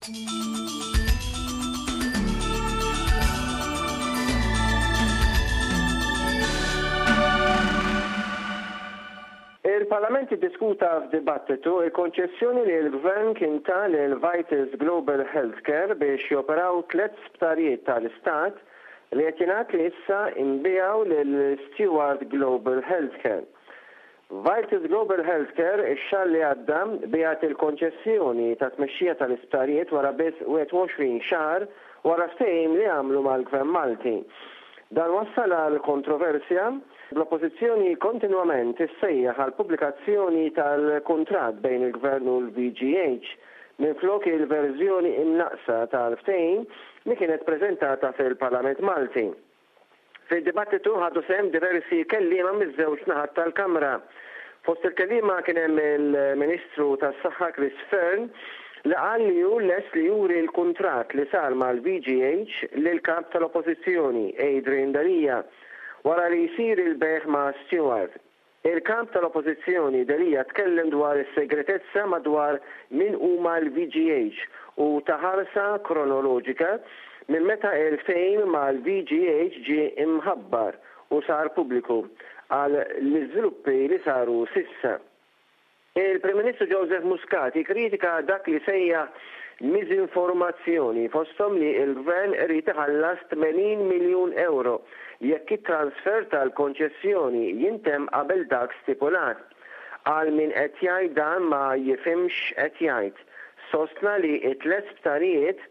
Il-Parlament iddiskuta f'dibattitu l-konċessjoni li l-Gvern kien ta lil Vitals Global Healthcare biex joperaw tlett sptarijiet tal-Istat li qed jingħad li issa inbiegħu lil Steward Global Healthcare. Vitals Global Healthcare ix-xahar li għadda biegħet il-konċessjoni ta' tmexxija tal-isptarijiet wara biss 21 xahar wara ftehim li għamlu mal-Gvern Malti. Dan wassal għal kontroversja, bl-Oppożizzjoni kontinwament issejjaħ għall-pubblikazzjoni tal-kuntratt bejn il-Gvern u l-VGH minflok il-verżjoni imnaqqsa tal-ftehim li kienet preżentata fil-Parlament Malti. Fid-dibattitu ħadu sehem diversi kelliema miż-żewġ naħat tal-Kamra. Fost il-kelliema kien hemm il-Ministru tas-Saħħa Chris Fearne li qal li hu lest li juri l-kuntratt li sar mal-VGH lill-Kap tal-Oppożizzjoni, Adrian Delia, wara li jsir il-bejgħ ma' Steward. Il-Kap tal-Oppożizzjoni Delia tkellem dwar is-segretezza madwar min huma l-VGH u ta ħarsa kronoloġika minn meta il-ftehim mal-VGH ġie imħabbar u sar pubbliku għal l-iżviluppi li saru s'issa. Il-Prim Ministru Joseph Muscat ikkritika dak li sejjaħ miżinformazzjoni fosthom li l-Gvern irid iħallas 80 miljun ewro jekk it-transfer tal-konċessjoni jintemm qabel dak stipulat. Qal min qed jgħid dan ma jifhimx x'qed jgħid. Sostna li t-tlett sptarijiet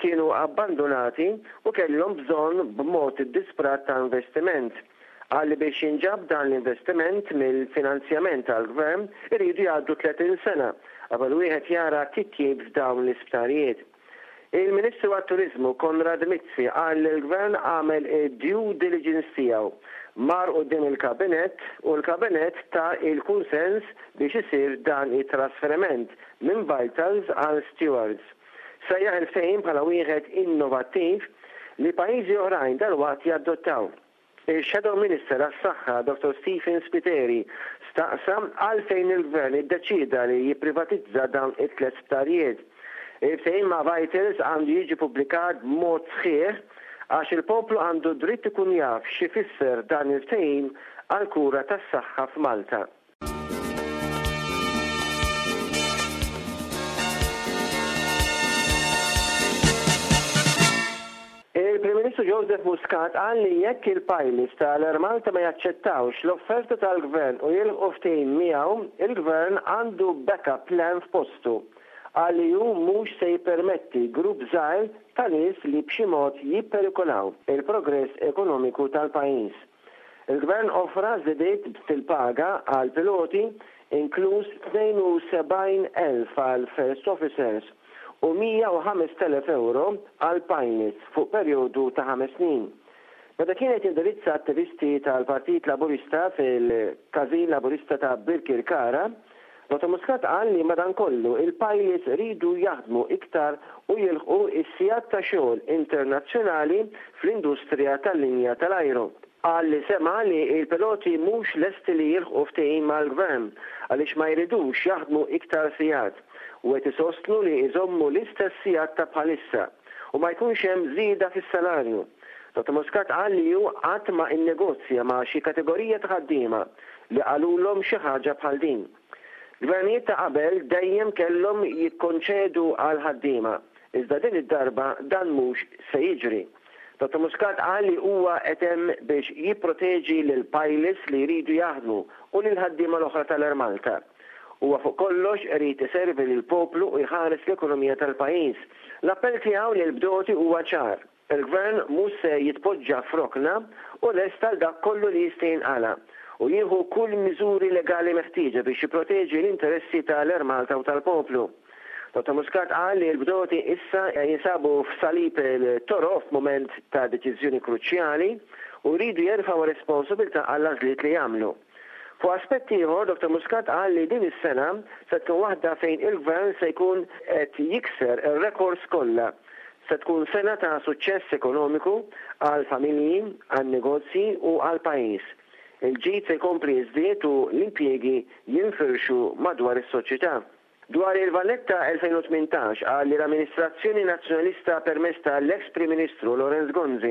kienu abbandunati u kellhom bżonn b'mod iddisprat ta' investiment. Qal li biex jinġab dan l-investiment mill-finanzjament tal-Gvern iridu jgħaddu 30 sena qabel wieħed jara titjib f'dawn l-isptarijiet. Il-Ministru għat-Turiżmu Konrad Mizzi qal li l-Gvern għamel id-due diligence tiegħu, mar quddiem il-Kabinett u l-Kabinett ta l-kunsens biex isir dan it-trasferiment minn Vitals għal Stewards. Sejjaħ il-ftehim bħala wieħed innovattiv li pajjiżi oħrajn dalwaqt jaddottaw. Ix-Shadow Minister għas-Saħħa, Dottor Stephen Spiteri, staqsa għalfejn il-Gvern iddeċieda li jipprivatizza dawn it-tlett sptarijiet. Il-ftehim ma' Vitals għandu jiġi pubblikat b'mod sħiħ għax il-poplu għandu dritt ikun jaf x'ifisser dan il-ftehim għall-kura tas-saħħa f'Malta. Il-Prim Ministru Joseph Muscat qal li jekk il-pilots tal-Air Malta ma jaċċettawx l-offerta tal-Gvern u jilħqu ftehim miegħu, il-Gvern għandu backup plan f'postu. Qal li hu mhux se jippermetti grupp żgħir ta' nies li b'xi mod jipperikolaw il-progress ekonomiku tal-pajjiż. Il-Gvern offra żidiet fil-paga għall-piloti, inkluż 72,000 għal First Officers u 105,000 ewro għall-pilots fuq perjodu ta' ħames snin. Meta kien qed jindirizza attivisti tal-Partit Laburista fil-Każin Laburista ta' Birkirkara, Dottor Muscat qal li madankollu il-pilots iridu jaħdmu iktar u jilħqu s-sigħat ta' xogħol internazzjonali fl-industrija tal-linja tal-ajru. Qal li sema' li l-piloti mhux lesti li jilħqu ftehim mal-Gvern għaliex ma jridux jaħdmu iktar sigħat u qed isostnu li jżommu l-istess sigħat ta' bħalissa u ma jkunx hemm żieda fis-salarju. Dottor Muscat qal li hu qatt ma innegozja ma' xi kategorija ta' ħaddiema li qalulhom xi ħaġa bħal din. Gvernijiet ta' qabel dejjem kellhom jikkonċedu għall-ħaddiema, iżda din id-darba dan mhux se jiġri. Dottor Muscat qal li huwa qed hemm biex jipproteġi lill-pilots li jridu jaħdmu u lill-ħaddiema l-oħra tal-Air Malta. Huwa fuq kollox irid iservi lill-poplu u jħares l-ekonomija tal-pajjiż. L-appell tiegħu lill-bdoti huwa ċar. Il-Gvern mhux se jitpoġġa f'rokna u lest għal dak kollu li jista' jinqala' u jieħu kull miżuri legali meħtieġa biex jipproteġi l-interessi ta' l-Air Malta u tal-poplu. Dottor Muscat qal li l-bdoti issa jinsabu f'salib il-toroq f'mument ta' deċiżjoni kruċjali u jridu jerfgħu r-responsabiltà għall-għażliet li jagħmlu. Fuq aspett ieħor, Dottor Muscat qal li din is-sena se tkun waħda fejn il-Gvern se jkun qed jikser ir-rekords kollha. Se tkun sena ta' suċċess ekonomiku għall-familji, għan-negozji u għall-pajjiż. Il-ġid se jkompli jiżdied u l-impjiegi jinfirxu madwar is-soċjetà. Dwar il-Valletta 2018 qal li l-amministrazzjoni Nazzjonalista permezz ta' l-eks Prim Ministru Lawrence Gonzi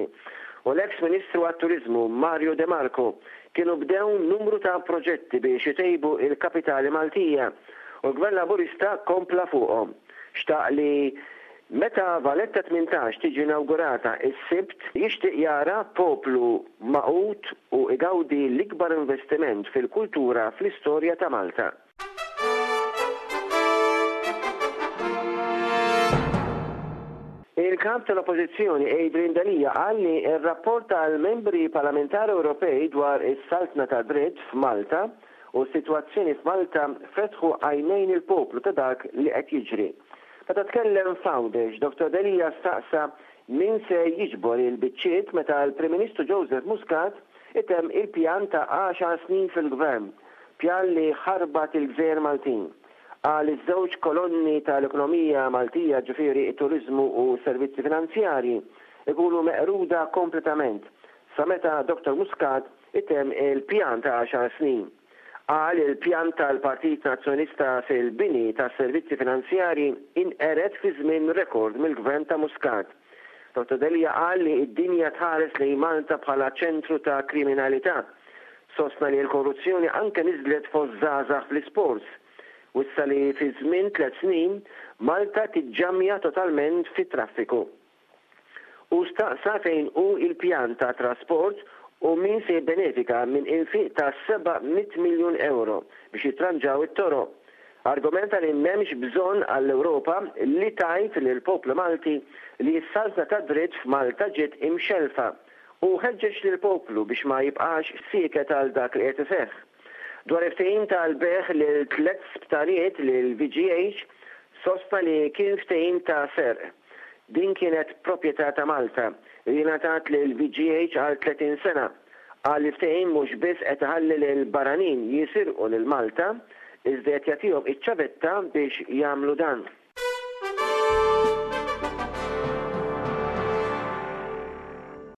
u l-eks Ministru għat-Turiżmu Mario De Marco kienu bdew numru ta' proġetti biex itejbu il-kapitali Maltija u l-Gvern Laburista kompla fuqhom. Xtaq li meta Valletta 18 tiġi inawgurata s-Sibt jixtieq jara poplu magħqud u igawdi l-ikbar investiment fil-kultura fl-istorja ta' Malta. Il-Kap tal-Oppożizzjoni Adrian Delia qal li r-rapport tal-Membri Parlamentari Ewropej dwar is-saltna tad-dritt f'Malta u s-sitwazzjoni f'Malta fetħu għajnejn il-poplu ta' dak li qed jiġri. Meta tkellem f'Għawdex, Dottor Delia staqsa min se jiġbor il-biċċiet meta l-Prim Ministru Joseph Muscat itemm il-pjan ta' għaxar snin fil-Gvern Pjan li ħarbat il-gżejjer Maltin. Qal iż-żewġ kolonni tal-ekonomija Maltija ġifieri t-turiżmu u s-servizzi finanzjarji ikunu meqruda kompletament sa meta Dottor Muscat itemm il-pjan ta' għaxar snin. Qal il-pjan tal-Partit Nazzjonalista fil-bini tas-servizzi finanzjarji inqered fi żmien rekord mill-Gvern ta' Muscat. Dottor Delia qal li d-dinja tħares lejn Malta bħala ċentru ta' kriminalità. Sostna li l-korruzzjoni anke niżlet fost żgħażagħ fl-isports. Wissa li fi żmien tlett snin, Malta tiġġammja totalment fit-traffiku. Hu staqsa fejn hu l-pjan ta' trasport u min se jibbenefika minn infiq ta' 700 miljun ewro biex jitranġaw it-toroq. Argumenta li m'hemmx bżonn għall-Ewropa li tgħid lill-poplu Malti li s-saltna tad-dritt f'Malta ġiet imxellfa u ħeġġeġ lill-poplu biex ma jibqax sieket għal dak li qed iseħħ. Dwar il-ftehim tal-bejgħ lil tlett sptarijiet lill-VGH, sostna li kien ftehim ta' serq. Din kienet proprjetà ta' Malta li ngħatat lill-VGH għal 30 sena. Qal li l-ftehim mhux biss qed iħalli lill-barranin jisirqu lil Malta, iżda qed jagħtihom iċ-ċavetta biex jagħmlu dan.